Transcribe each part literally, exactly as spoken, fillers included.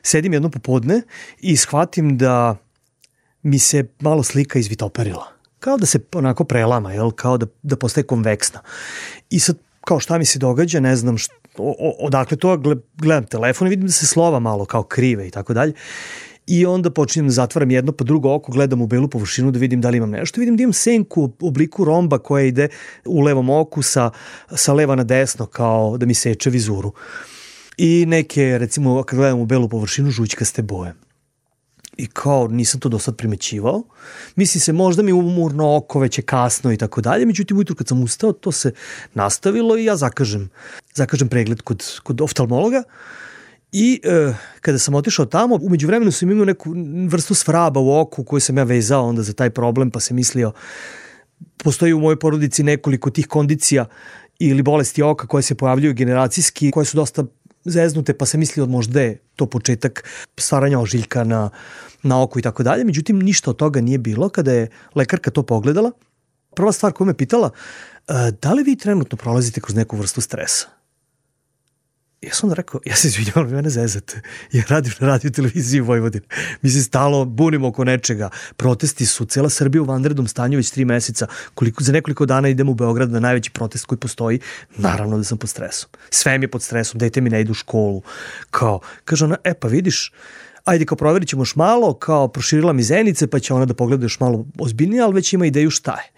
sedim jedno popodne i shvatim da mi se malo slika izvitoperila. Kao da se onako prelama, jel? Kao da, da postaje konveksna. I sad, kao šta mi se događa, ne znam što, o, odakle to, gledam telefon i vidim da se slova malo kao krive i tako dalje. I onda počinjem da zatvaram jedno pa drugo oko, gledam u belu površinu da vidim da li imam nešto. Vidim da imam senku u obliku romba koja ide u levom oku sa, sa leva na desno, kao da mi seče vizuru. I neke, recimo, kad gledam u belu površinu, žućkaste boje. I kao nisam to do sad primećivao. Misli se možda mi umorno oko, već je kasno i tako dalje. Međutim, ujutru kad sam ustao, to se nastavilo i ja zakažem, zakažem pregled kod, kod oftalmologa. I e, kada sam otišao tamo, umeđu vremenu sam imao neku vrstu svraba u oku koju sam ja vezao onda za taj problem, pa sam mislio, postoji u mojoj porodici nekoliko tih kondicija ili bolesti oka koje se pojavljuju generacijski, koje su dosta zeznute, pa sam mislio možda je to početak stvaranja ožiljka na, na oku i tako dalje. Međutim, ništa od toga nije bilo. Kada je lekarka to pogledala, prva stvar koju me pitala, da li vi trenutno prolazite kroz neku vrstu stresa? Ja sam onda rekao, ja se izvinjavam, vi mene zezate. Ja radim na radio televiziji u Vojvodini. Mi se stalo bunimo oko nečega. Protesti su, cela Srbija u vanrednom stanju već tri meseca. Koliko, za nekoliko dana idem u Beograd na najveći protest koji postoji. Naravno da sam pod stresom. Sve mi je pod stresom, dete mi ne ide u školu. Kao, kaže ona, e pa vidiš, ajde kao provjerit ćemo još malo, kao proširila mi zenice, pa će ona da pogleda još malo ozbiljnije, ali već ima ideju šta je.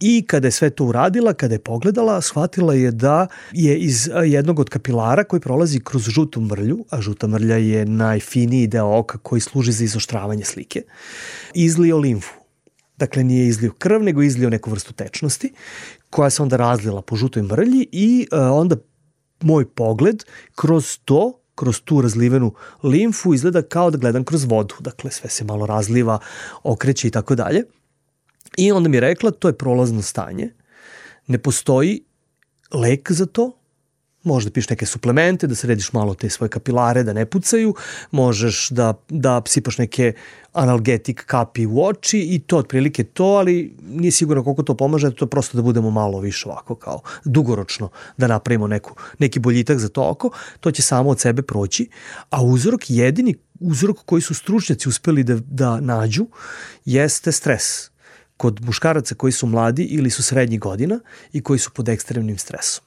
I kada je sve to uradila, kada je pogledala, shvatila je da je iz jednog od kapilara koji prolazi kroz žutu mrlju, a žuta mrlja je najfiniji deo oka koji služi za izoštravanje slike, izlio limfu. Dakle, nije izlio krv, nego izlio neku vrstu tečnosti, koja se onda razlila po žutoj mrlji i uh, onda moj pogled kroz to, kroz tu razlivenu limfu izgleda kao da gledam kroz vodu. Dakle, sve se malo razliva, okreće i tako dalje. I onda mi je rekla, to je prolazno stanje, ne postoji lek za to, možda piješ neke suplemente, da središ malo te svoje kapilare, da ne pucaju, možeš da, da psipaš neke analgetik kapi u oči i to otprilike to, ali nije sigurno koliko to pomaže, to je prosto da budemo malo više ovako kao dugoročno, da napravimo neku, neki boljitak za to oko, to će samo od sebe proći, a uzrok, jedini uzrok koji su stručnjaci uspeli da, da nađu jeste stres. Kod muškaraca koji su mladi ili su srednjih godina i koji su pod ekstremnim stresom.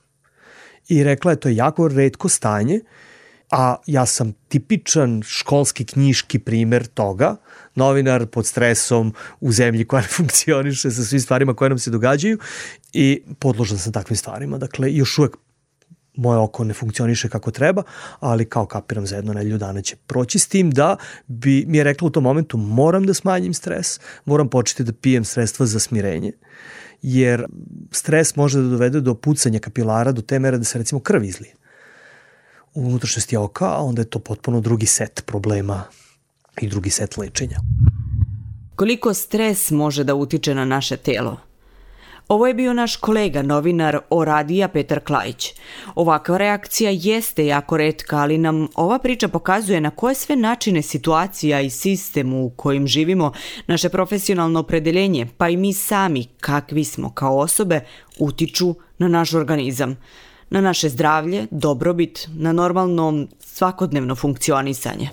I rekla je to je jako retko stanje, a ja sam tipičan školski knjiški primer toga, novinar pod stresom u zemlji koja ne funkcioniše sa svim stvarima koje nam se događaju i podložan sam takvim stvarima. Dakle, još uvek moje oko ne funkcioniše kako treba, ali kao kapiram za jedno nedelju dana će proći s tim da bi mi je rekla u tom momentu moram da smanjim stres, moram početi da pijem sredstva za smirenje, jer stres može da dovede do pucanja kapilara do te mere da se recimo krv izlije u unutrašnjosti oka, a onda je to potpuno drugi set problema i drugi set lečenja. Koliko stres može da utiče na naše telo? Ovo je bio naš kolega, novinar O radija Petar Klajić. Ovakva reakcija jeste jako retka, ali nam ova priča pokazuje na koje sve načine situacija i sistem u kojim živimo, naše profesionalno opredeljenje, pa i mi sami, kakvi smo kao osobe, utiču na naš organizam, na naše zdravlje, dobrobit, na normalno svakodnevno funkcionisanje.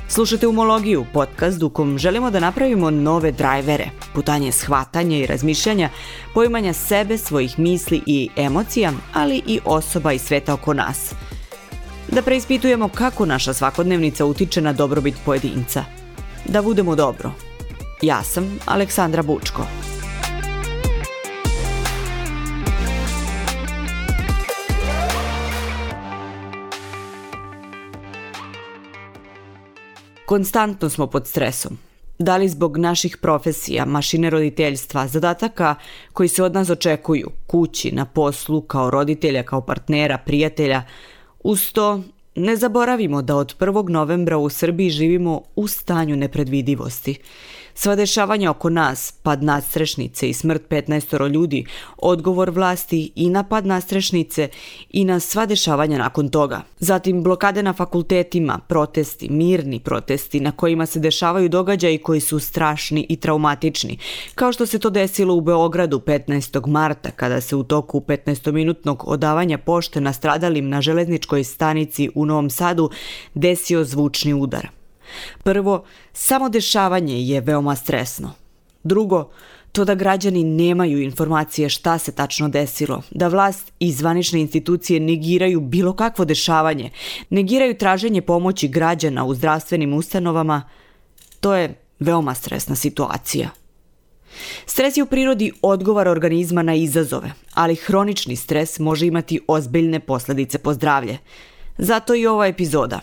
Slušate Umologiju, podcast u kom želimo da napravimo nove drajvere, putanje shvatanja i razmišljanja, poimanja sebe, svojih misli i emocija, ali i osoba i sveta oko nas. Da preispitujemo kako naša svakodnevnica utiče na dobrobit pojedinca. Da budemo dobro. Ja sam Aleksandra Bučko. Konstantno smo pod stresom. Da li zbog naših profesija, mašine roditeljstva, zadataka koji se od nas očekuju, kući, na poslu, kao roditelja, kao partnera, prijatelja, uz to Ne zaboravimo da od prvog novembra u Srbiji živimo u stanju nepredvidivosti. Sva dešavanja oko nas, pad nadstrešnice i smrt petnaestoro ljudi, odgovor vlasti i na pad nadstrešnice i na sva dešavanja nakon toga. Zatim blokade na fakultetima, protesti, mirni protesti na kojima se dešavaju događaji koji su strašni i traumatični, kao što se to desilo u Beogradu petnaestog marta kada se u toku petnaestominutnog odavanja pošte nastradalim na železničkoj stanici u Novom Sadu desio zvučni udar. Prvo, samo dešavanje je veoma stresno. Drugo, to da građani nemaju informacije šta se tačno desilo, da vlast i zvanične institucije negiraju bilo kakvo dešavanje, negiraju traženje pomoći građana u zdravstvenim ustanovama, to je veoma stresna situacija. Stres je u prirodi odgovor organizma na izazove, ali hronični stres može imati ozbiljne posljedice po zdravlje. Zato i ova epizoda.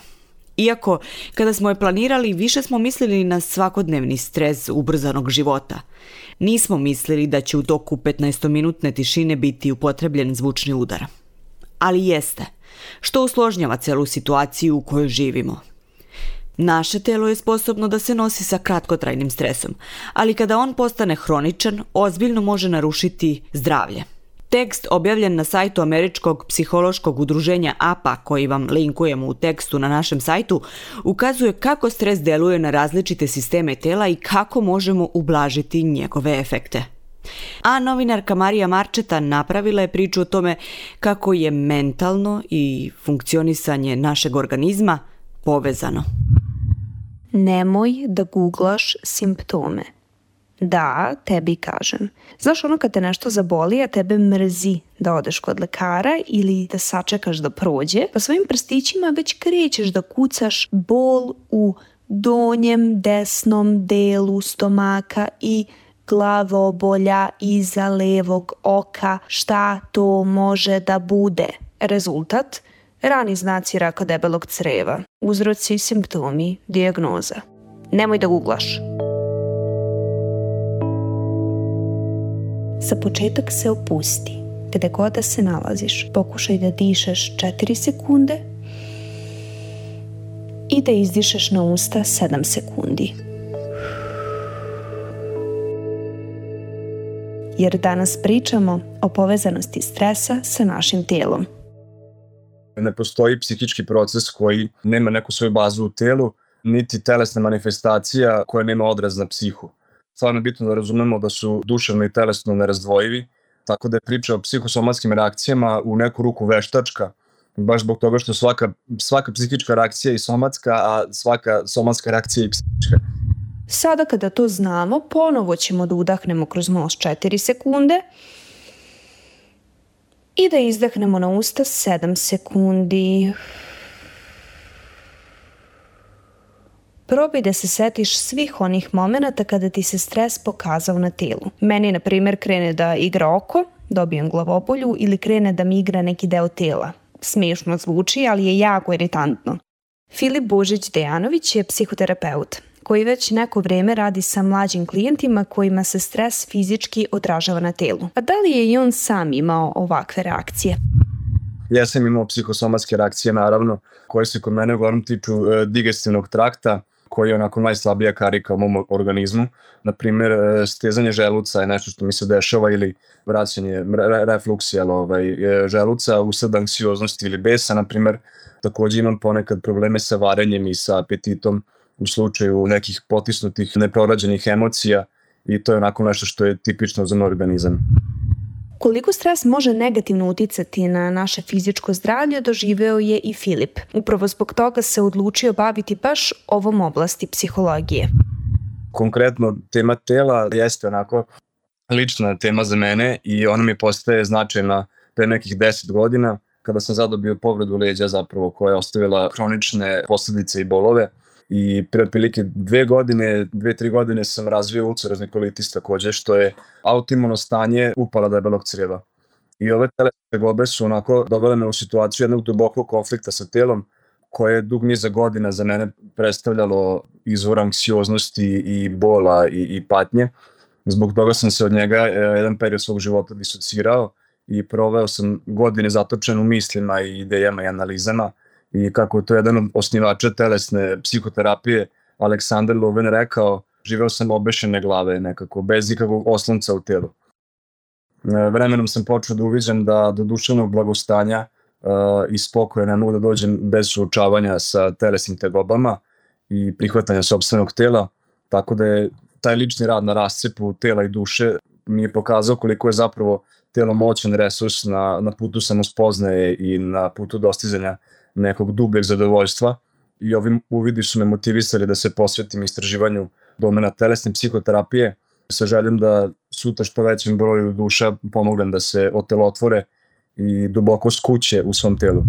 Iako, kada smo je planirali, više smo mislili na svakodnevni stres ubrzanog života. Nismo mislili da će u toku petnaestominutne tišine biti upotrebljen zvučni udar. Ali jeste, što usložnjava celu situaciju u kojoj živimo. Naše telo je sposobno da se nosi sa kratkotrajnim stresom, ali kada on postane hroničan, ozbiljno može narušiti zdravlje. Tekst objavljen na sajtu Američkog psihološkog udruženja A P A, koji vam linkujemo u tekstu na našem sajtu, ukazuje kako stres deluje na različite sisteme tela i kako možemo ublažiti njegove efekte. A novinarka Marija Marčeta napravila je priču o tome kako je mentalno i funkcionisanje našeg organizma povezano. Nemoj da googlaš simptome. Da, tebi kažem. Znaš ono kad te nešto zaboli, a tebe mrzi da odeš kod lekara ili da sačekaš da prođe, pa svojim prstićima već krećeš da kucaš bol u donjem desnom delu stomaka i glavobolja iza levog oka, šta to može da bude? Rezultat? Rani znaci raka debelog creva. Uzroci, simptomi, dijagnoza. Nemoj da googlaš. Za početak se opusti. Gde god da se nalaziš, pokušaj da dišeš četiri sekunde i da izdišeš na usta sedam sekundi. Jer danas pričamo o povezanosti stresa sa našim tijelom. Ne postoji psihički proces koji nema neku svoju bazu u telu, niti telesna manifestacija koja nema odraz na psihu. Stvarno je bitno da razumemo da su duševno i telesno nerazdvojivi, tako da je priča o psihosomatskim reakcijama u neku ruku veštačka, baš zbog toga što svaka, svaka psihička reakcija je somatska, a svaka somatska reakcija je psihička. Sada kada to znamo, ponovo ćemo da udahnemo kroz nos četiri sekunde i da izdahnemo na usta sedam sekundi. Probaj da se setiš svih onih momenata kada ti se stres pokazao na telu. Meni, na primjer, krene da igra oko, dobijem glavobolju ili krene da mi igra neki deo tela. Smiješno zvuči, ali je jako iritantno. Filip Božić-Dejanović je psihoterapeut koji već neko vrijeme radi sa mlađim klijentima kojima se stres fizički odražava na telu. A da li je i on sam imao ovakve reakcije? Ja sam imao psihosomatske reakcije, naravno, koje se kod mene uglavnom tiču e, digestivnog trakta, koji je onako najslabija karika u mom organizmu. Naprimjer, e, stezanje želuca je nešto što mi se dešava ili vraćanje, re, refluksija ovaj, želuca usled anksioznosti ili besa. Naprimjer, također imam ponekad probleme sa varenjem i sa apetitom u slučaju nekih potisnutih, neprorađenih emocija i to je onako nešto što je tipično za moj organizam. Koliko stres može negativno uticati na naše fizičko zdravlje, doživeo je i Filip. Upravo zbog toga se odlučio baviti baš ovom oblasti psihologije. Konkretno, tema tela jeste onako lična tema za mene i ona mi postaje značajna pre nekih deset godina kada sam zadobio povredu leđa zapravo koja je ostavila hronične posljedice i bolove. I pre otprilike dve godine, dve, tri godine sam razvio ulcerozni kolitis takođe, što je autoimuno stanje upala debelog crijeva. I ove telesne tegobe su onako dovele me u situaciju jednog dubokog konflikta sa telom, koje je dug niza godina za mene predstavljalo izvor anksioznosti i bola i, i patnje. Zbog toga sam se od njega jedan period svog života disocirao i proveo sam godine zatočen u mislima i idejama i analizama. i kako je to jedan od osnivača telesne psihoterapije Aleksandar Loven rekao, živeo sam obešene glave nekako, bez ikakvog oslonca u telu. Vremenom sam počeo da uviđam da do duševnog blagostanja uh, i spokoja ne mogu da dođem bez suočavanja sa telesnim tegobama i prihvatanja sopstvenog tela, tako da je taj lični rad na rascepu tela i duše mi je pokazao koliko je zapravo telo moćan resurs na, na putu samospoznaje i na putu dostizanja nekog dubljeg zadovoljstva, i ovi uvidi su me motivisali da se posvetim istraživanju domena telesne psihoterapije sa željom da sutra što većem broju duša pomognem da se otelotvore i duboko skuće u svom telu.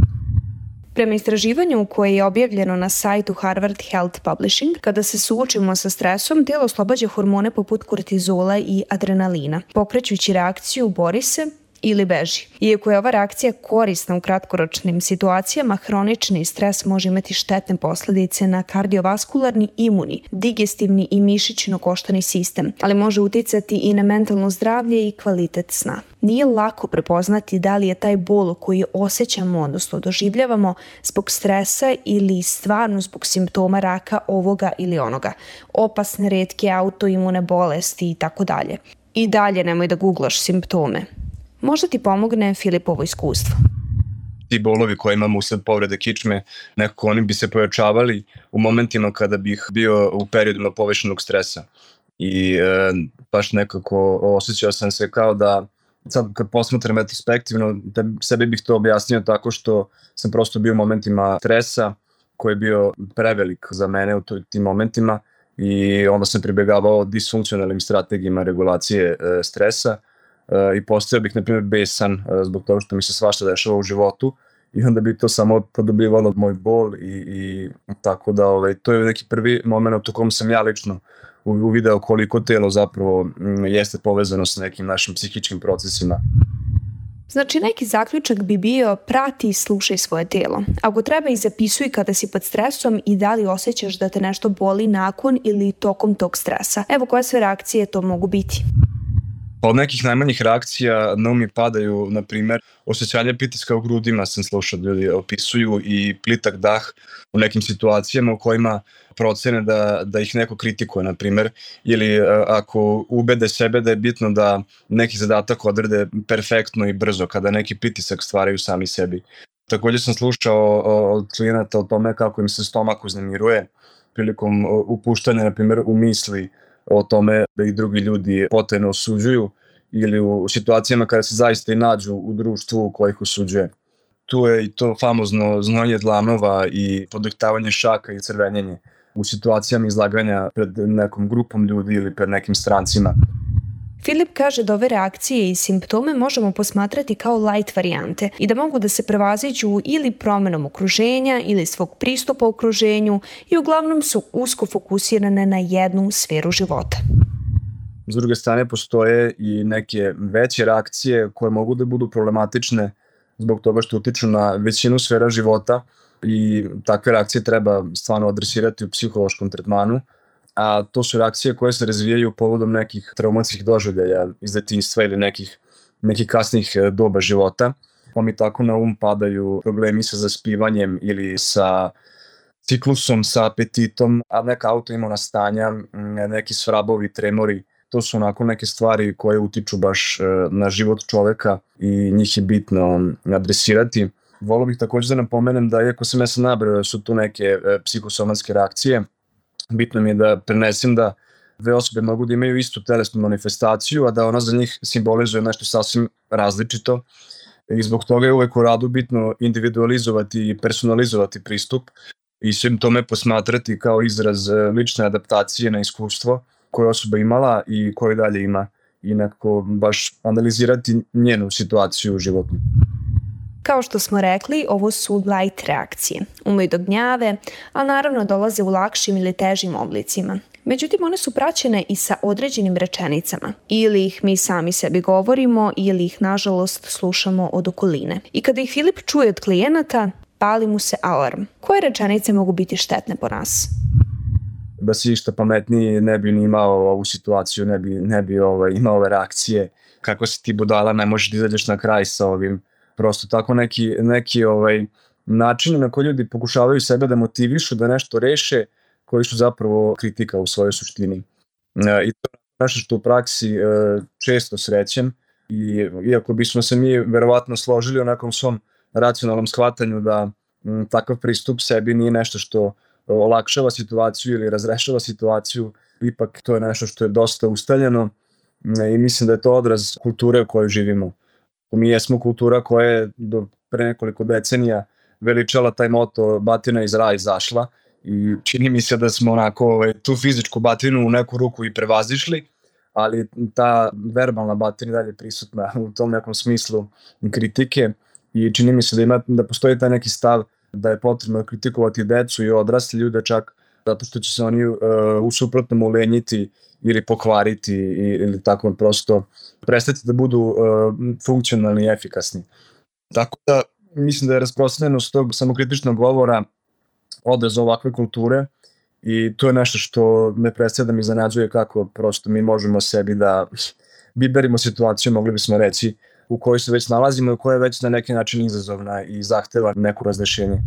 Prema istraživanju koje je objavljeno na sajtu Harvard Health Publishing, kada se suočimo sa stresom, telo oslobađa hormone poput kortizola i adrenalina, pokrećući reakciju bori se ili beži. Iako je ova reakcija korisna u kratkoročnim situacijama, hronični stres može imati štetne posledice na kardiovaskularni, imunni, digestivni i mišićno-koštani sistem, ali može uticati i na mentalno zdravlje i kvalitet sna. Nije lako prepoznati da li je taj bol koji osjećamo, odnosno doživljavamo, zbog stresa ili stvarno zbog simptoma raka ovoga ili onoga, opasne retke autoimune bolesti i tako dalje. I dalje nemoj da googlaš simptome. Možda ti pomogne Filipovo iskustvo. Ti bolovi koje imamo usled povrede kičme, nekako oni bi se pojačavali u momentima kada bih bio u periodima povećanog stresa. I e, baš nekako osjećao sam se kao da, sad kad posmatram retrospektivno, da sebi bih to objasnio tako što sam prosto bio u momentima stresa koji je bio prevelik za mene u tim momentima, i onda sam pribegavao disfunkcionalnim strategijama regulacije e, stresa. Uh, i postojao bih, na primjer, besan uh, zbog toga što mi se svašta dešava u životu, i onda bi to samo podobivalo moj bol i, i tako da ovaj, to je neki prvi moment u kom sam ja lično uvideo koliko telo zapravo m, jeste povezano sa nekim našim psihičkim procesima. Znači, neki zaključak bi bio: prati i slušaj svoje telo. Ako treba, i zapisuj kada si pod stresom i da li osjećaš da te nešto boli nakon ili tokom tog stresa. Evo koje sve reakcije to mogu biti. Od nekih najmanjih reakcija na um mi padaju, na primjer, osjećanje pritiska u grudima, sam slušao ljudi opisuju, i plitak dah u nekim situacijama u kojima procene da, da ih neko kritikuje, na primjer, ili ako ubede sebe da je bitno da neki zadatak odrade perfektno i brzo, kada neki pritisak stvaraju sami sebi. Također sam slušao od klijenata o tome kako im se stomak uznemiruje prilikom upuštanja, na primjer, u misli o tome da ih drugi ljudi potajno osuđuju, ili u situacijama kada se zaista i nađu u društvu koje ih osuđuje. Tu je i to famozno znojenje dlanova i podrhtavanje šaka i crvenjenje u situacijama izlaganja pred nekom grupom ljudi ili pred nekim strancima. Filip kaže da ove reakcije i simptome možemo posmatrati kao light varijante i da mogu da se prevaziđu ili promenom okruženja ili svog pristupa okruženju, i uglavnom su usko fokusirane na jednu sferu života. S druge strane, postoje i neke veće reakcije koje mogu da budu problematične zbog toga što utiču na većinu sfera života, i takve reakcije treba stvarno adresirati u psihološkom tretmanu, a to su reakcije koje se razvijaju povodom nekih traumatskih doživljaja iz detinjstva ili nekih, nekih kasnih doba života. Pa mi tako na um padaju problemi sa zaspivanjem ili sa ciklusom, sa apetitom, a neka autoimuna stanja, neki svrabovi, tremori. To su onako neke stvari koje utiču baš na život čoveka i njih je bitno adresirati. Volio bih također da napomenem da, iako sam ja sad nabrao da su tu neke psihosomatske reakcije, bitno mi je da prenesem da dve osobe mogu da imaju istu telesnu manifestaciju, a da ona za njih simbolizuje nešto sasvim različito, i zbog toga je uvek u radu bitno individualizovati i personalizovati pristup i simptome posmatrati kao izraz lične adaptacije na iskustvo koje osoba imala i koje dalje ima, i nekako baš analizirati njenu situaciju u životu. Kao što smo rekli, ovo su light reakcije. Umeju da gnjave, a naravno dolaze u lakšim ili težim oblicima. Međutim, one su praćene i sa određenim rečenicama. Ili ih mi sami sebi govorimo, ili ih, nažalost, slušamo od okoline. I kada ih Filip čuje od klijenata, pali mu se alarm. Koje rečenice mogu biti štetne po nas? Da si išta pametniji ne bi ni imao ovu situaciju, ne bi, ne bi ovaj, imao ove reakcije. Kako si ti budala, ne možeš da izađeš na kraj sa ovim. Prosto tako neki, neki ovaj, načine na koji ljudi pokušavaju sebe da motivišu, da nešto reše, koji su zapravo kritika u svojoj suštini. I to je nešto što u praksi često srećem, i iako bismo se mi verovatno složili o nekom svom racionalnom shvatanju da m, takav pristup sebi nije nešto što olakšava situaciju ili razrešava situaciju, ipak to je nešto što je dosta ustaljeno i mislim da je to odraz kulture u kojoj živimo. Mi jesmo kultura koja je do pre nekoliko decenija veličala taj moto batina iz raja izašla i čini mi se da smo onako ovaj, tu fizičku batinu u neku ruku i prevazišli, ali ta verbalna batina dalje prisutna u tom nekom smislu kritike i čini mi se da, ima, da postoji taj neki stav da je potrebno kritikovati decu i odrasli ljude čak zato što će se oni uh, u suprotnom ulenjiti ili pokvariti ili tako prosto prestati da budu uh, funkcionalni i efikasni. Tako da mislim da je rasprostranjenost tog samokritičnog govora odraz ovakve kulture i to je nešto što me predstavlja da mi iznenađuje kako prosto mi možemo sebi da biberimo situaciju, mogli bismo reći, u kojoj se već nalazimo i koja je već na neki način izazovna i zahteva neku razrešenje.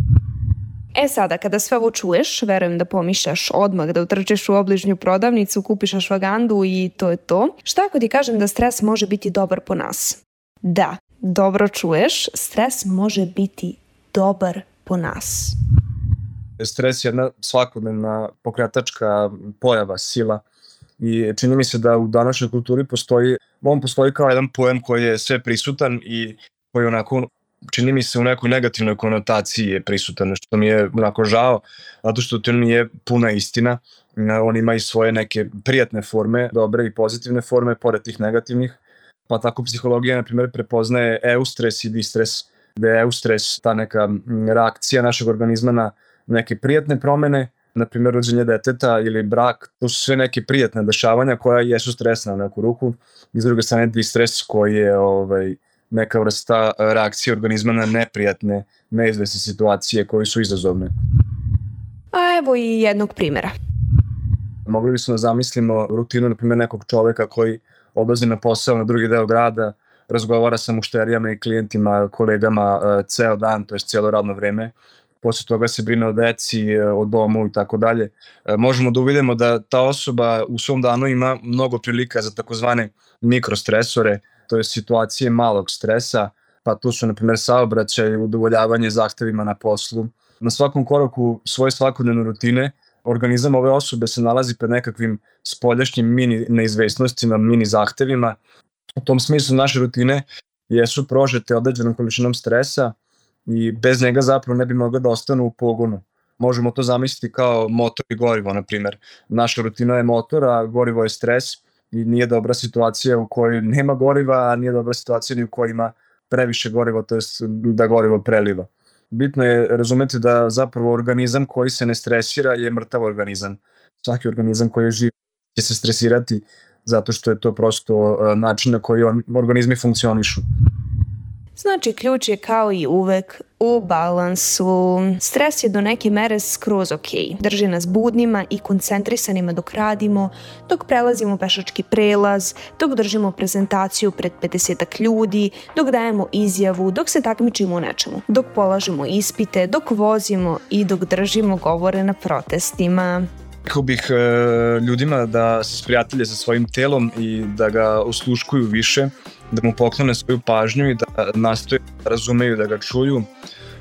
E sada, kada sve ovo čuješ, verujem da pomišljaš odmah da utrčeš u obližnju prodavnicu, kupiš ashwagandu i to je to. Šta ako ti kažem da stres može biti dobar po nas? Da, dobro čuješ, stres može biti dobar po nas. Stres je jedna svakodnevna pokretačka pojava, sila i čini mi se da u današnjoj kulturi postoji, on postoji kao jedan pojam koji je sve prisutan i koji onako čini mi se u nekoj negativnoj konotaciji je prisutan, što mi je onako žao, zato što to nije puna istina. On ima i svoje neke prijatne forme, dobre i pozitivne forme, pored tih negativnih. Pa tako psihologija, na primjer, prepoznaje eustres i distres, da je eustres ta neka reakcija našeg organizma na neke prijatne promene, na primjer rođenje deteta ili brak, to su sve neke prijatne dešavanja koja jesu stresna na neku ruku. I s druge strane distres koji je ovaj, neka vrsta reakcije organizma na neprijatne, neizvesne situacije koje su izazovne. A evo i jednog primjera. Mogli bismo da zamislimo rutinu, na primjer, nekog čoveka koji odlazi na posao na drugi deo grada, razgovara sa mušterijama i klijentima, kolegama ceo dan, to je cijelo radno vreme. Posle toga se brine o deci, o domu i tako dalje. Možemo da uvidimo da ta osoba u svom danu ima mnogo prilika za takozvane mikrostresore, to je situacije malog stresa, pa tu su na primjer saobraćaj, udovoljavanje zahtevima na poslu. Na svakom koraku svoje svakodnevne rutine organizam ove osobe se nalazi pred nekakvim spoljašnjim mini neizvesnostima, mini zahtevima. U tom smislu naše rutine jesu prožete određenom količinom stresa i bez njega zapravo ne bi mogli da ostanu u pogonu. Možemo to zamisliti kao motor i gorivo, na primjer. Naša rutina je motor, a gorivo je stres i nije dobra situacija u kojoj nema goriva, a nije dobra situacija ni u kojoj ima previše goriva, to je da gorivo preliva. Bitno je razumeti da zapravo organizam koji se ne stresira je mrtav organizam. Svaki organizam koji je živ će se stresirati zato što je to prosto način na koji on, organizmi funkcionišu. Znači, ključ je kao i uvek u balansu. Stres je do neke mere skroz ok. Drži nas budnima i koncentrisanima dok radimo, dok prelazimo pešački prelaz, dok držimo prezentaciju pred pedesetak ljudi, dok dajemo izjavu, dok se takmičimo u nečemu, dok polažemo ispite, dok vozimo i dok držimo govore na protestima. Rekao bih e, ljudima da se sprijatelje sa svojim telom i da ga osluškuju više, da mu poklone svoju pažnju i da nastoje da razumeju, da ga čuju.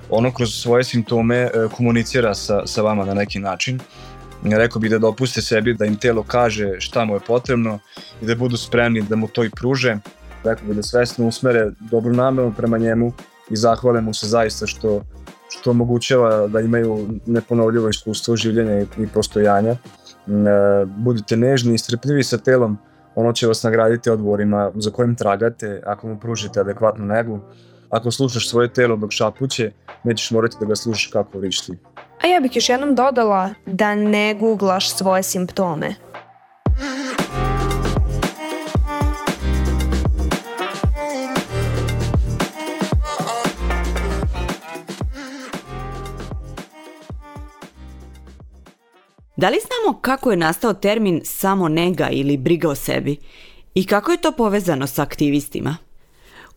Ono kroz svoje simptome e, komunicira sa, sa vama na neki način. Rekao bih da dopuste sebi da im telo kaže šta mu je potrebno i da budu spremni da mu to i pruže. Rekao bih da svesno usmere dobru nameru prema njemu i zahvale mu se zaista što što omogućava da imaju neponovljivo iskustvo življenja i postojanja. Budite nežni i strpljivi sa telom, ono će vas nagraditi odgovorima za kojim tragate ako mu pružite adekvatnu negu. Ako slušaš svoje telo dok šapuće, nećeš morati da ga slušaš kako vrišti. A ja bih još jednom dodala da ne googlaš svoje simptome. Da li znamo kako je nastao termin samonega ili briga o sebi i kako je to povezano sa aktivistima?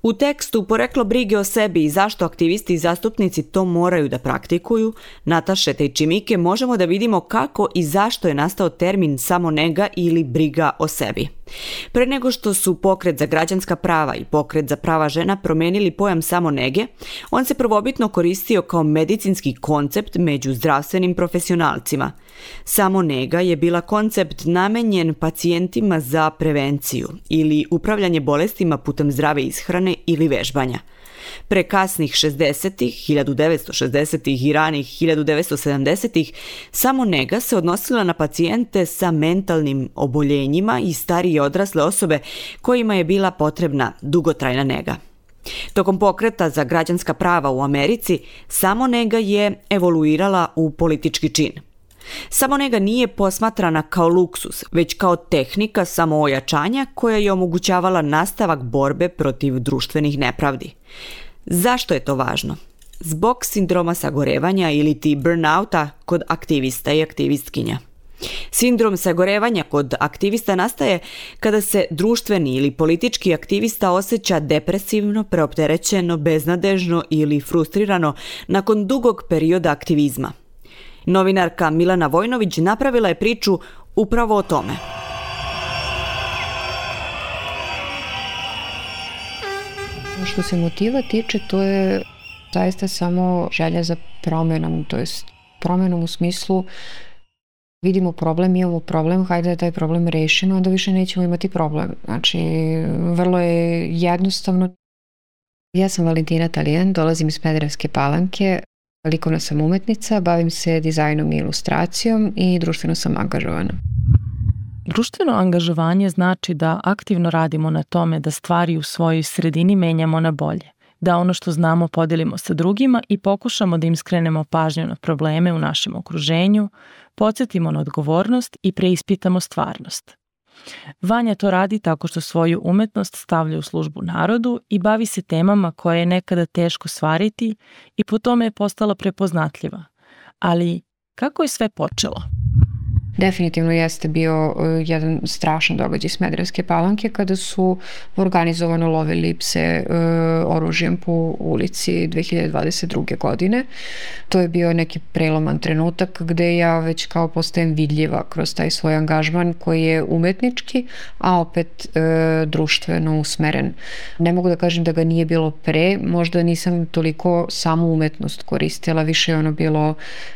U tekstu Poreklo brige o sebi i zašto aktivisti i zastupnici to moraju da praktikuju, Nataše Tejčimike, možemo da vidimo kako i zašto je nastao termin samonega ili briga o sebi. Pre nego što su Pokret za građanska prava i Pokret za prava žena promenili pojam samonege, on se prvobitno koristio kao medicinski koncept među zdravstvenim profesionalcima. Samonega je bila koncept namenjen pacijentima za prevenciju ili upravljanje bolestima putem zdrave ishrane ili vežbanja. Pre kasnih šezdesetih, hiljadu devetsto šezdesetih i ranih hiljadu devetsto sedamdesetih samonega se odnosila na pacijente sa mentalnim oboljenjima i starije odrasle osobe kojima je bila potrebna dugotrajna nega. Tokom Pokreta za građanska prava u Americi, samonega je evoluirala u politički čin. Samonega nije posmatrana kao luksus, već kao tehnika samoojačanja koja je omogućavala nastavak borbe protiv društvenih nepravdi. Zašto je to važno? Zbog sindroma sagorevanja ili ti burnouta kod aktivista i aktivistkinja. Sindrom sagorevanja kod aktivista nastaje kada se društveni ili politički aktivista osjeća depresivno, preopterećeno, beznadežno ili frustrirano nakon dugog perioda aktivizma. Novinarka Milana Vojnović napravila je priču upravo o tome. Što se motiva tiče, to je zaista samo želja za promjenom, to jest promjenom u smislu vidimo problem, imamo problem, hajde da taj problem rešimo, onda više nećemo imati problem. Znači, vrlo je jednostavno. Ja sam Valentina Talijan, dolazim iz Smederevske Palanke, likovna sam umetnica, bavim se dizajnom i ilustracijom i društveno sam angažovana. Društveno angažovanje znači da aktivno radimo na tome da stvari u svojoj sredini menjamo na bolje, da ono što znamo podelimo sa drugima i pokušamo da im skrenemo pažnju na probleme u našem okruženju, podsjetimo na odgovornost i preispitamo stvarnost. Vanja to radi tako što svoju umetnost stavlja u službu narodu i bavi se temama koje je nekada teško stvariti i po tome je postala prepoznatljiva. Ali kako je sve počelo? Definitivno jeste bio jedan strašan događaj Smederevske Palanke kada su organizovano lovili pse uh, oružjem po ulici dve hiljade dvadeset druge. godine. To je bio neki preloman trenutak gde ja već kao postajem vidljiva kroz taj svoj angažman koji je umetnički, a opet uh, društveno usmeren. Ne mogu da kažem da ga nije bilo pre, možda nisam toliko samu umetnost koristila, više je ono bilo,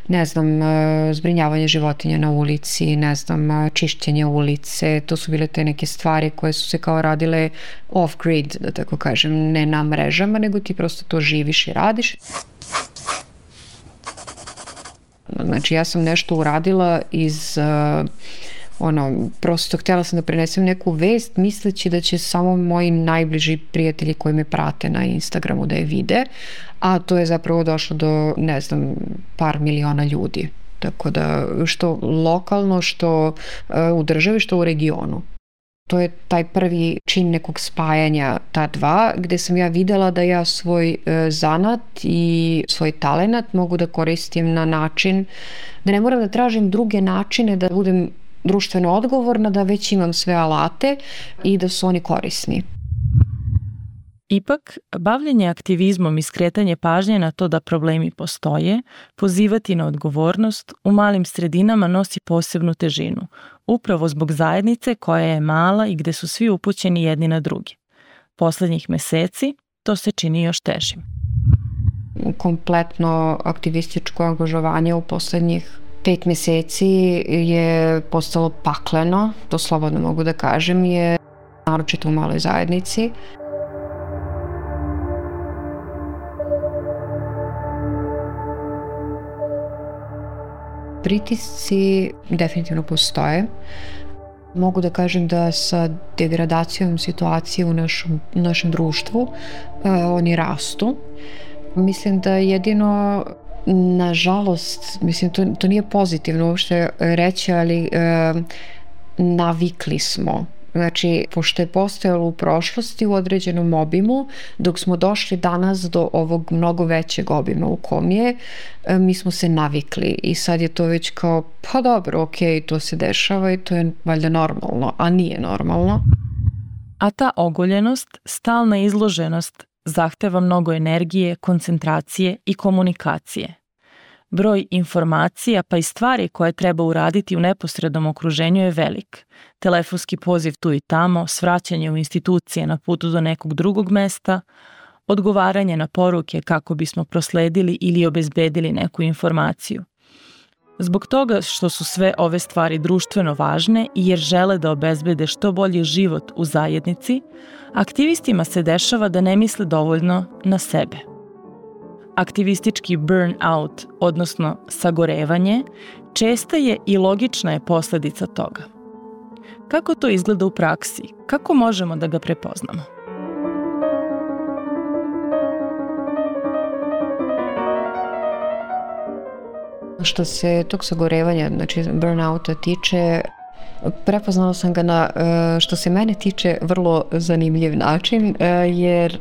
ne znam, uh, zbrinjavanje životinja na ulici, ne znam, čišćenje ulice, to su bile te neke stvari koje su se kao radile off-grid, da tako kažem, ne na mrežama, nego ti prosto to živiš i radiš. Znači, ja sam nešto uradila iz, uh, ono, prosto htjela sam da prenesem neku vest, misleći da će samo moji najbliži prijatelji koji me prate na Instagramu da je vide, a to je zapravo došlo do, ne znam, par miliona ljudi. Tako da, što lokalno, što uh, u državi, što u regionu. To je taj prvi čin nekog spajanja ta dva, gde sam ja videla da ja svoj uh, zanat i svoj talenat mogu da koristim na način da ne moram da tražim druge načine da budem društveno odgovorna, da već imam sve alate i da su oni korisni. Ipak, bavljenje aktivizmom i skretanje pažnje na to da problemi postoje, pozivati na odgovornost, u malim sredinama nosi posebnu težinu, upravo zbog zajednice koja je mala i gde su svi upućeni jedni na drugi. Poslednjih meseci to se čini još težim. Kompletno aktivističko angažovanje u poslednjih pet meseci je postalo pakleno, to slobodno mogu da kažem, je naročito u maloj zajednici. Pritisci definitivno postoje. Mogu da kažem da sa degradacijom situacije u našem, našem društvu eh, oni rastu. Mislim da jedino, nažalost, mislim to, to nije pozitivno uopšte reći, ali eh, navikli smo. Znači, pošto je postojalo u prošlosti u određenom obimu, dok smo došli danas do ovog mnogo većeg obima u kom je, mi smo se navikli i sad je to već kao, pa dobro, ok, to se dešava i to je valjda normalno, a nije normalno. A ta ogoljenost, stalna izloženost, zahteva mnogo energije, koncentracije i komunikacije. Broj informacija pa i stvari koje treba uraditi u neposrednom okruženju je velik. Telefonski poziv tu i tamo, svraćanje u institucije na putu do nekog drugog mesta, odgovaranje na poruke kako bismo prosledili ili obezbedili neku informaciju. Zbog toga što su sve ove stvari društveno važne i jer žele da obezbede što bolji život u zajednici, aktivistima se dešava da ne misle dovoljno na sebe. Aktivistički burnout, odnosno sagorevanje, česta je i logična je posledica toga. Kako to izgleda u praksi? Kako možemo da ga prepoznamo? Što se tog sagorevanja, znači burnouta tiče, prepoznala sam ga na, što se mene tiče, vrlo zanimljiv način, jer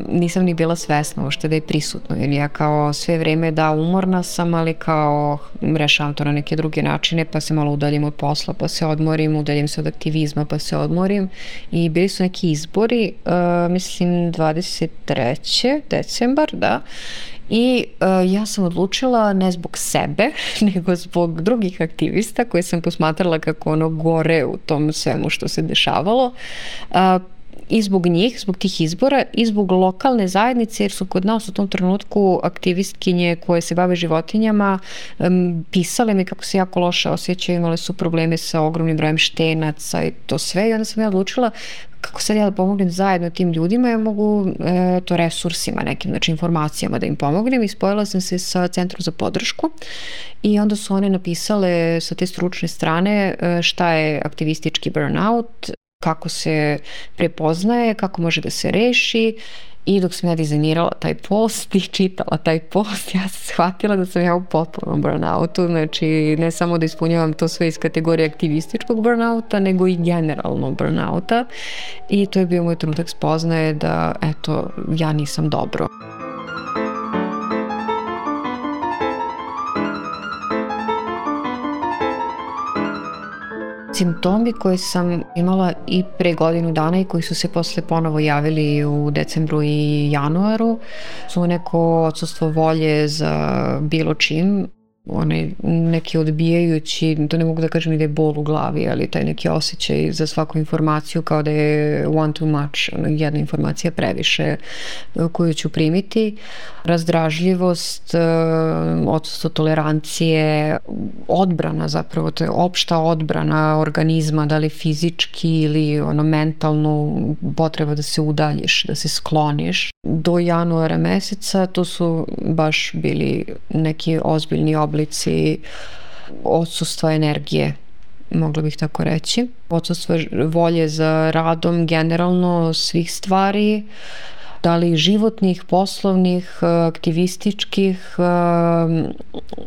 nisam ni bila svesna uopšte da je prisutno, jer ja kao sve vreme da umorna sam, ali kao rešavam to na neke druge načine, pa se malo udaljim od posla, pa se odmorim, udaljim se od aktivizma, pa se odmorim i bili su neki izbori, mislim dvadeset trećeg decembar, da, i uh, ja sam odlučila ne zbog sebe, nego zbog drugih aktivista koje sam posmatrala kako ono gore u tom svemu što se dešavalo. Uh, I zbog njih, zbog tih izbora i zbog lokalne zajednice, jer su kod nas u tom trenutku aktivistkinje koje se bave životinjama um, pisale mi kako se jako loše osjećaju, imale su probleme sa ogromnim brojem štenaca i to sve. I onda sam ja odlučila kako sad ja da pomognem zajedno tim ljudima, ja mogu e, to resursima nekim, znači informacijama da im pomognem, i spojila sam se sa Centrom za podršku i onda su one napisale sa te stručne strane e, šta je aktivistički burnout, kako se prepoznaje, kako može da se reši. I dok sam ja dizajnirala taj post i čitala taj post, ja sam shvatila da sam ja u potpunom burnoutu, znači ne samo da ispunjavam to sve iz kategorije aktivističkog burnouta, nego i generalno burnouta, i to je bio moj trenutak spoznaje da, eto, ja nisam dobro. Simptomi koje sam imala i pre godinu dana i koji su se posle ponovo javili u decembru i januaru su neko odsustvo volje za bilo čim, onaj neki odbijajući, to ne mogu da kažem ni da je bol u glavi, ali taj neki osjećaj za svaku informaciju kao da je one too much, jedna informacija previše koju ću primiti, razdražljivost, odsustvo tolerancije, odbrana zapravo, to je opšta odbrana organizma, da li fizički ili ono mentalno, potreba da se udaljiš, da se skloniš. Do januara meseca to su baš bili neki ozbiljni oblici odsustva energije, mogla bih tako reći. Odsustvo volje za radom generalno svih stvari, da li životnih, poslovnih, aktivističkih,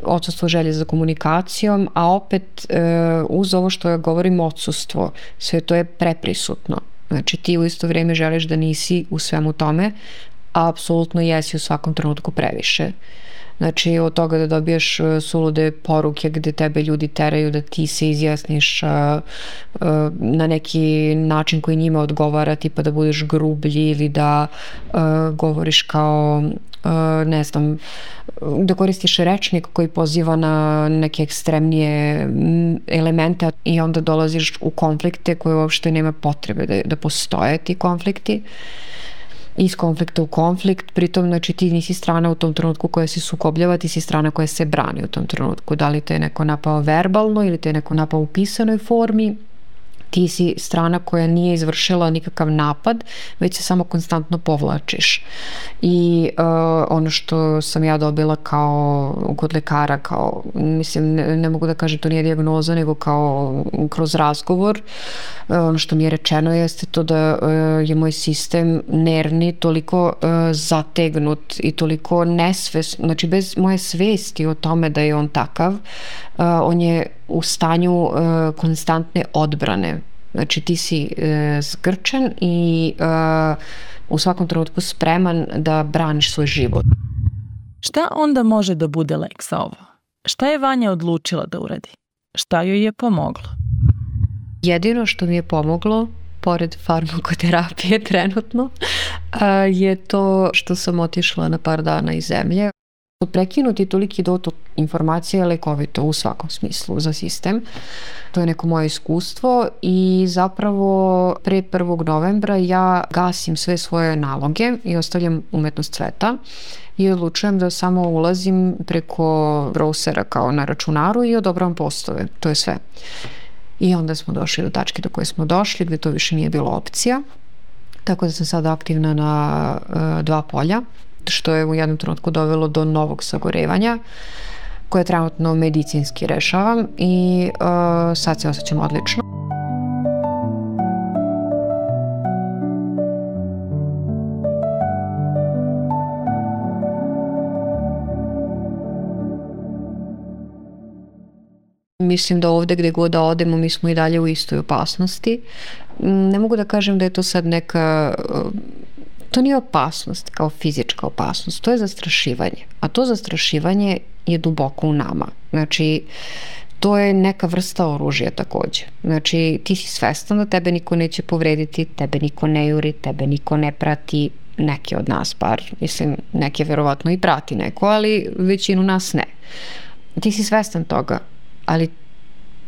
odsustvo želje za komunikacijom, a opet uz ovo što ja govorim odsustvo, sve to je preprisutno. Znači ti u isto vrijeme želiš da nisi u svemu tome, a apsolutno jesi u svakom trenutku previše. Znači od toga da dobiješ sulude poruke gde tebe ljudi teraju da ti se izjasniš uh, uh, na neki način koji njima odgovara, tipa da budeš grublji ili da uh, govoriš kao uh, ne znam, da koristiš rečnik koji poziva na neke ekstremnije elemente i onda dolaziš u konflikte koje uopšte nema potrebe da, da postoje ti konflikti. Iz konflikta u konflikt, pritom znači ti nisi strana u tom trenutku koja se sukobljava, ti si strana koja se brani u tom trenutku. Da li te je neko napao verbalno ili te je neko napao u pisanoj formi, ti si strana koja nije izvršila nikakav napad, već se samo konstantno povlačiš. I uh, ono što sam ja dobila kao kod lekara, kao, mislim, ne, ne mogu da kažem to nije dijagnoza, nego kao kroz razgovor, uh, ono što mi je rečeno jeste to da uh, je moj sistem nervni toliko uh, zategnut i toliko nesvest, znači bez moje svesti o tome da je on takav, uh, on je u stanju uh, konstantne odbrane. Znači ti si uh, zgrčan i uh, u svakom trenutku spreman da braniš svoj život. Šta onda može da bude lek za ovo? Šta je Vanja odlučila da uradi? Šta joj je pomoglo? Jedino što mi je pomoglo pored farmakoterapije trenutno, je to što sam otišla na par dana iz zemlje. Prekinuti toliki dotok informacija je lekovito u svakom smislu za sistem. To je neko moje iskustvo i zapravo pre prvog novembra ja gasim sve svoje naloge i ostavljam umetnost cveta i odlučujem da samo ulazim preko browsera kao na računaru i odobravam postove. To je sve. I onda smo došli do tačke do koje smo došli, gde to više nije bilo opcija. Tako da sam sada aktivna na uh, dva polja, što je u jednom trenutku dovelo do novog sagorevanja, koje trenutno medicinski rešavam i uh, sad se osjećam odlično. Mislim da ovde gde god da odemo mi smo i dalje u istoj opasnosti. Ne mogu da kažem da je to sad neka... To nije opasnost kao fizička opasnost, to je zastrašivanje. A to zastrašivanje je duboko u nama. Znači, to je neka vrsta oružja takođe. Znači, ti si svestan da tebe niko neće povrediti, tebe niko ne juri, tebe niko ne prati, neki od nas par, mislim, neke verovatno i prati neko, ali većinu nas ne. Ti si svestan toga, ali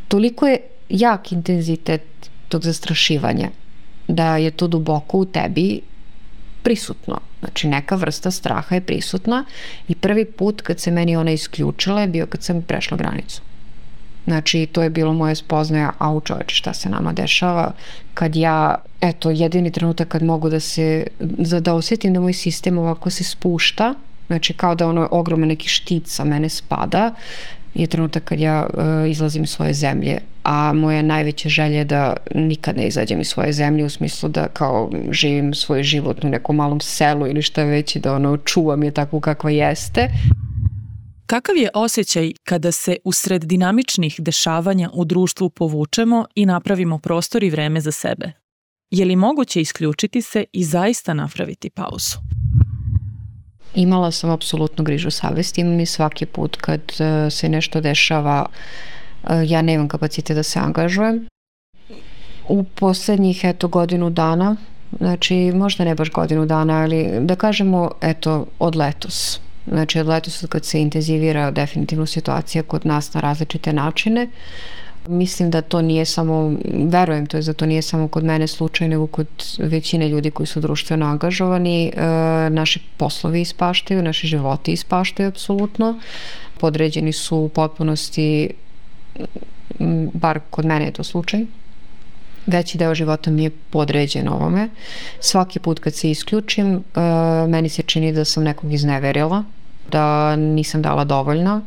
toliko je jak intenzitet tog zastrašivanja da je to duboko u tebi prisutno. Znači, neka vrsta straha je prisutna i prvi put kad se meni ona isključila je bio kad sam prešla granicu. Znači, to je bilo moje spoznaja, au čoveče, šta se nama dešava, kad ja, eto, jedini trenutak kad mogu da se, da osjetim da moj sistem ovako se spušta, znači kao da ono ogroman neki štit sa mene spada, je trenutak kad ja uh, izlazim iz svoje zemlje, a moja najveća želja je da nikad ne izađem iz svoje zemlje, u smislu da kao živim svoj život u nekom malom selu ili šta već i da ono čuvam je takvu kakva jeste. Kakav je osjećaj kada se usred dinamičnih dešavanja u društvu povučemo i napravimo prostor i vreme za sebe? Je li moguće isključiti se i zaista napraviti pauzu? Imala sam apsolutnu grižu savesti, imam i svaki put kad se nešto dešava, ja nemam kapacite da se angažujem. U poslednjih, eto, godinu dana, znači možda ne baš godinu dana, ali da kažemo, eto, od letos. Znači od letos kad se intenzivira definitivno situacija kod nas na različite načine. Mislim da to nije samo, verujem to je da to nije samo kod mene slučaj, nego kod većine ljudi koji su društveno angažovani. E, naši poslovi ispaštaju, naši životi ispaštaju apsolutno. Podređeni su u potpunosti, bar kod mene je to slučaj. Veći deo života mi je podređen ovome. Svaki put kad se isključim, e, meni se čini da sam nekog izneverila, da nisam dala dovoljno,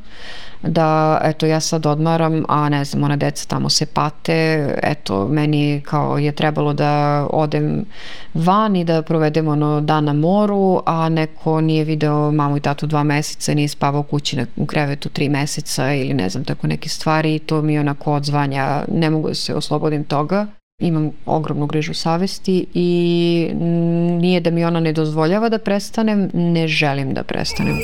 da eto ja sad odmaram, a ne znam, ona deca tamo se pate, eto meni kao je trebalo da odem van i da provedem ono dan na moru, a neko nije video mamu i tatu dva meseca, nije spavao kući na, u krevetu tri meseca ili ne znam, tako neke stvari i to mi onako odzvanja, ne mogu da se oslobodim toga. Imam ogromnu grižu savesti i nije da mi ona ne dozvoljava da prestanem, ne želim da prestanem.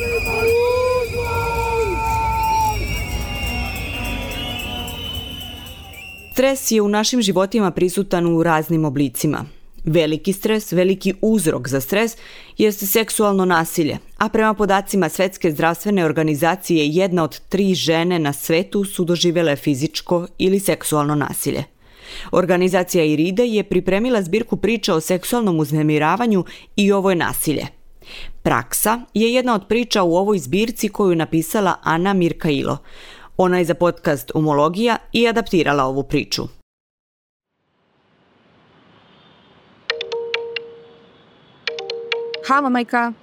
Stres je u našim životima prisutan u raznim oblicima. Veliki stres, veliki uzrok za stres jeste seksualno nasilje, a prema podacima Svetske zdravstvene organizacije jedna od tri žene na svetu su doživele fizičko ili seksualno nasilje. Organizacija IRIDE je pripremila zbirku priča o seksualnom uznemiravanju i ovo je nasilje. Praksa je jedna od priča u ovoj zbirci koju je napisala Ana Mirkailo. Ona je za podcast Umologija i adaptirala ovu priču. Halo, majka.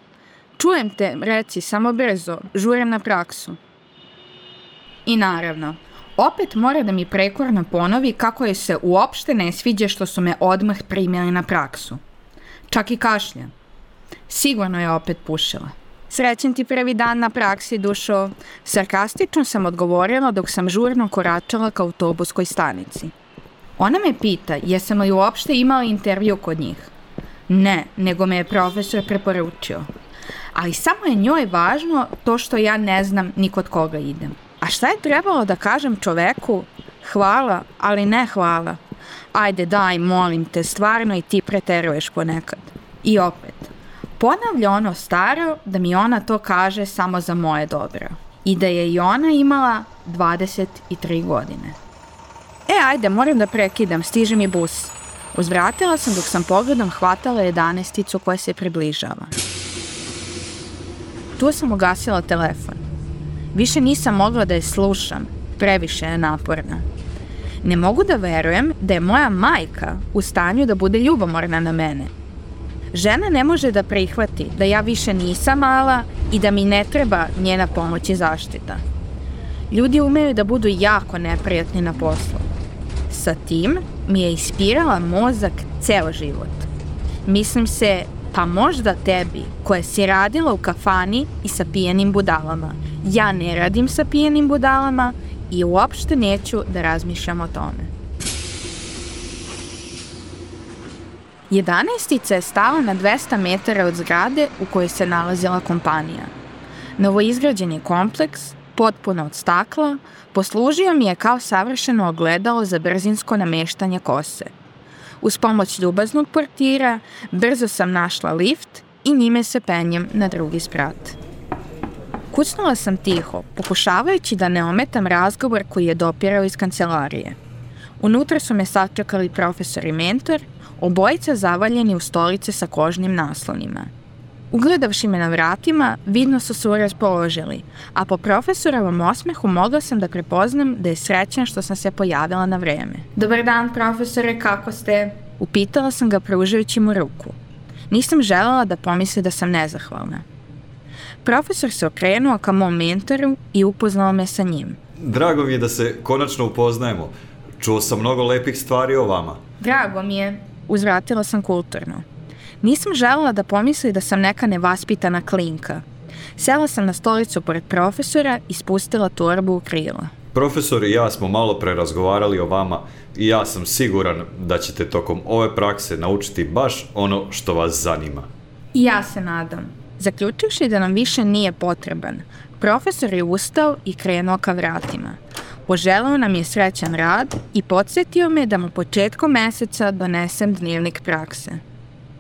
Čujem te, reci, samo brzo, žurim na praksu. I naravno, opet mora da mi prekorno ponovi kako je se uopšte ne sviđa što su me odmah primili na praksu. Čak i kašlja. Sigurno je opet pušila. Srećen ti prvi dan na praksi, dušo. Sarkastično sam odgovorila dok sam žurno koračala ka autobuskoj stanici. Ona me pita jesam li uopšte imala intervju kod njih. Ne, nego me je profesor preporučio. Ali samo je njoj važno to što ja ne znam ni kod koga idem. A šta je trebalo da kažem čoveku? Hvala, ali ne hvala. ajde daj, molim te, stvarno i ti preteruješ ponekad. I opet, ponavlja ono staro da mi ona to kaže samo za moje dobro. I da je i ona imala dvadeset tri godine. E, ajde, moram da prekidam, stiže mi bus. Uzvratila sam dok sam pogledom hvatala jedanaesticu koja se približava. Tu sam ugasila telefon. Više nisam mogla da je slušam, previše je naporna. Ne mogu da verujem da je moja majka u stanju da bude ljubomorna na mene. Žena ne može da prihvati da ja više nisam mala i da mi ne treba njena pomoć i zaštita. Ljudi umeju da budu jako neprijatni na poslu. Sa tim mi je ispirala mozak ceo život. Mislim se, pa možda tebi, koja si radila u kafani i sa pijenim budalama. Ja ne radim sa pijenim budalama i uopšte neću da razmišljam o tome. Jedanaestica je stala na dvesta metara od zgrade u kojoj se nalazila kompanija. Novoizgrađeni kompleks, potpuno od stakla, poslužio mi je kao savršeno ogledalo za brzinsko nameštanje kose. Uz pomoć ljubaznog portira, brzo sam našla lift i njime se penjem na drugi sprat. Kucnula sam tiho, pokušavajući da ne ometam razgovor koji je dopirao iz kancelarije. Unutra su me sačekali profesor i mentor, obojica zavaljeni u stolice sa kožnim naslonima. Ugledavši me na vratima, vidno su se raspoložili, a po profesorovom osmehu mogla sam da prepoznam da je srećan što sam se pojavila na vreme. Dobar dan, profesore, kako ste? Upitala sam ga pružajući mu ruku. Nisam želela da pomisli da sam nezahvalna. Profesor se okrenuo ka mom mentoru i upoznao me sa njim. Drago mi je da se konačno upoznajemo. Čuo sam mnogo lepih stvari o vama. Drago mi je, uzvratila sam kulturno. Nisam želela da pomisli da sam neka nevaspitana klinka. Sela sam na stolicu pored profesora i spustila torbu u krila. Profesor i ja smo malo pre razgovarali o vama i ja sam siguran da ćete tokom ove prakse naučiti baš ono što vas zanima. I ja se nadam. Zaključivši da nam više nije potreban, profesor je ustao i krenuo ka vratima. Poželeo nam je srećan rad i podsjetio me da mu početkom meseca donesem dnevnik prakse.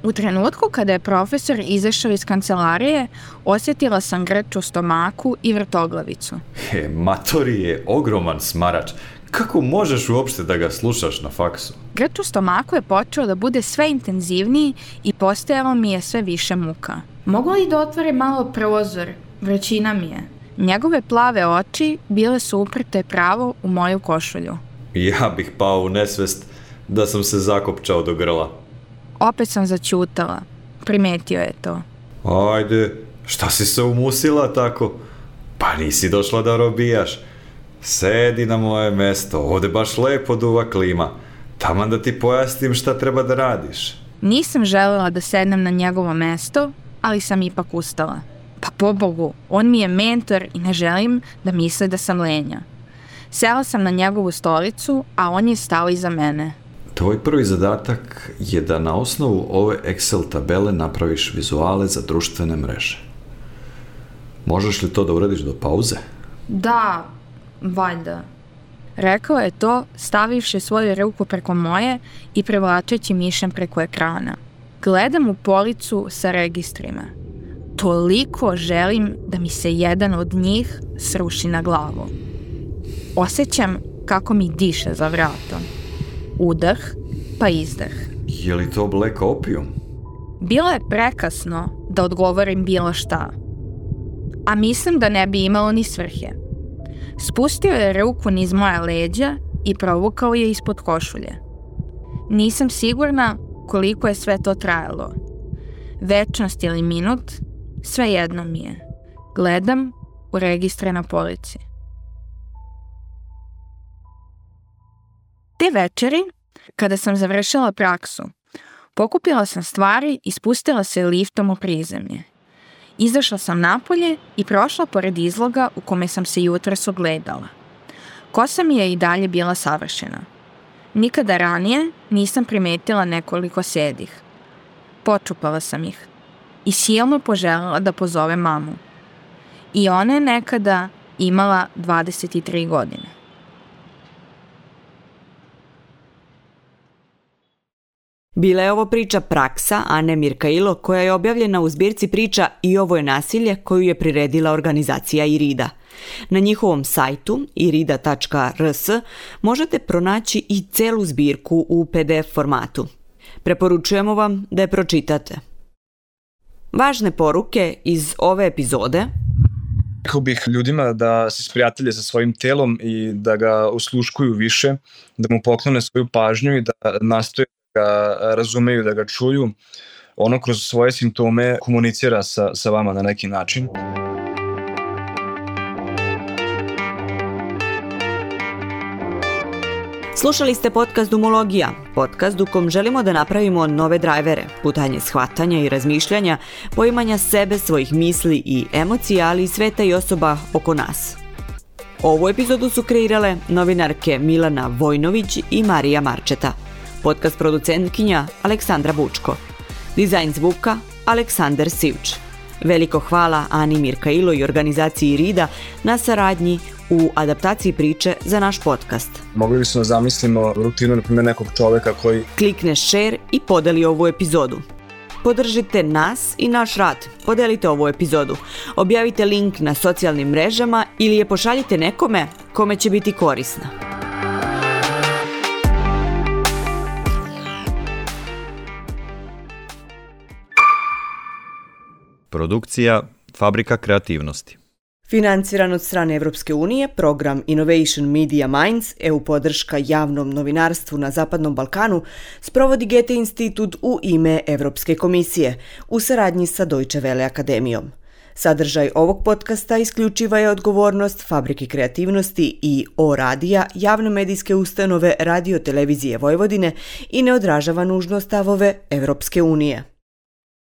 U trenutku kada je profesor izašao iz kancelarije, osjetila sam grč u stomaku i vrtoglavicu. He, Matori je ogroman smarač. Kako možeš uopšte da ga slušaš na faksu? Grč u stomaku je počeo da bude sve intenzivniji i postajalo mi je sve više muka. Mogu li da otvore malo prozor? Vrućina mi je. Njegove plave oči bile su uprte pravo u moju košulju. Ja bih pao u nesvest da sam se zakopčao do grla. Opet sam zaćutala. Primetio je to. Ajde, šta si se umusila tako? Pa nisi došla da robijaš. Sedi na moje mesto, ovde baš lepo duva klima. Taman da ti pojasnim šta treba da radiš. Nisam želela da sednem na njegovo mesto, ali sam ipak ustala. Pa pobogu, on mi je mentor i ne želim da misle da sam lenja. Sela sam na njegovu stolicu, a on je stao iza mene. Tvoj prvi zadatak je da na osnovu ove Excel tabele napraviš vizuale za društvene mreže. Možeš li to da uradiš do pauze? Da, valjda. Rekao je to, stavivši svoju ruku preko moje i prevlačeći mišem preko ekrana. Gledam u policu sa registrima. Toliko želim da mi se jedan od njih sruši na glavu. Osjećam kako mi diše za vratom. Udah, pa izdah. Je li to Black Opium? Bilo je prekasno da odgovorim bilo šta. A mislim da ne bi imalo ni svrhe. Spustio je ruku niz moja leđa i provukao je ispod košulje. Nisam sigurna koliko je sve to trajalo. Večnost ili minut, svejedno mi je. Gledam u registre na polici. Te večeri, kada sam završila praksu, pokupila sam stvari i spustila se liftom u prizemlje. Izašla sam napolje i prošla pored izloga u kome sam se jutros ogledala. Kosa mi je i dalje bila savršena. Nikada ranije nisam primetila nekoliko sedih. Počupala sam ih i silno poželjela da pozove mamu. I ona je nekada imala dvadeset tri godine. Bila je ovo priča Praksa Ane Mirkailo koja je objavljena u zbirci priča I ovo je nasilje koju je priredila organizacija IRIDA. Na njihovom sajtu irida tačka r s možete pronaći i celu zbirku u pe de ef formatu. Preporučujemo vam da je pročitate. Važne poruke iz ove epizode. Rekao bih ljudima da se sprijatelje sa svojim telom i da ga osluškuju više, da mu poklone svoju pažnju i da nastoje da ga razumeju, da ga čuju. Ono kroz svoje simptome komunicira sa, sa vama na neki način. Slušali ste podcast Dumologija, podcast u kom želimo da napravimo nove drajvere, putanje shvatanja i razmišljanja, poimanja sebe, svojih misli i emocija, ali i sveta i osoba oko nas. Ovu epizodu su kreirale novinarke Milana Vojnović i Marija Marčeta, podcast producentkinja Aleksandra Bučko, dizajn zvuka Aleksandar Sivč. Veliko hvala Ani Mirkailo i organizaciji IRIDA na saradnji u adaptaciji priče za naš podcast. Mogli bismo da zamislimo rutinu, na primjer, nekog čoveka koji klikne share i podeli ovu epizodu. Podržite nas i naš rad. Podelite ovu epizodu. Objavite link na socijalnim mrežama ili je pošaljite nekome kome će biti korisna. Produkcija Fabrika kreativnosti. Financiran od strane Evropske unije, program Innovation Media Minds, E U podrška javnom novinarstvu na Zapadnom Balkanu, sprovodi Goethe institut u ime Evropske komisije, u saradnji sa Deutsche Welle akademijom. Sadržaj ovog podcasta isključiva je odgovornost Fabrike kreativnosti i O radija, javne medijske ustanove Radio Televizije Vojvodine i ne odražava nužno stavove Evropske unije.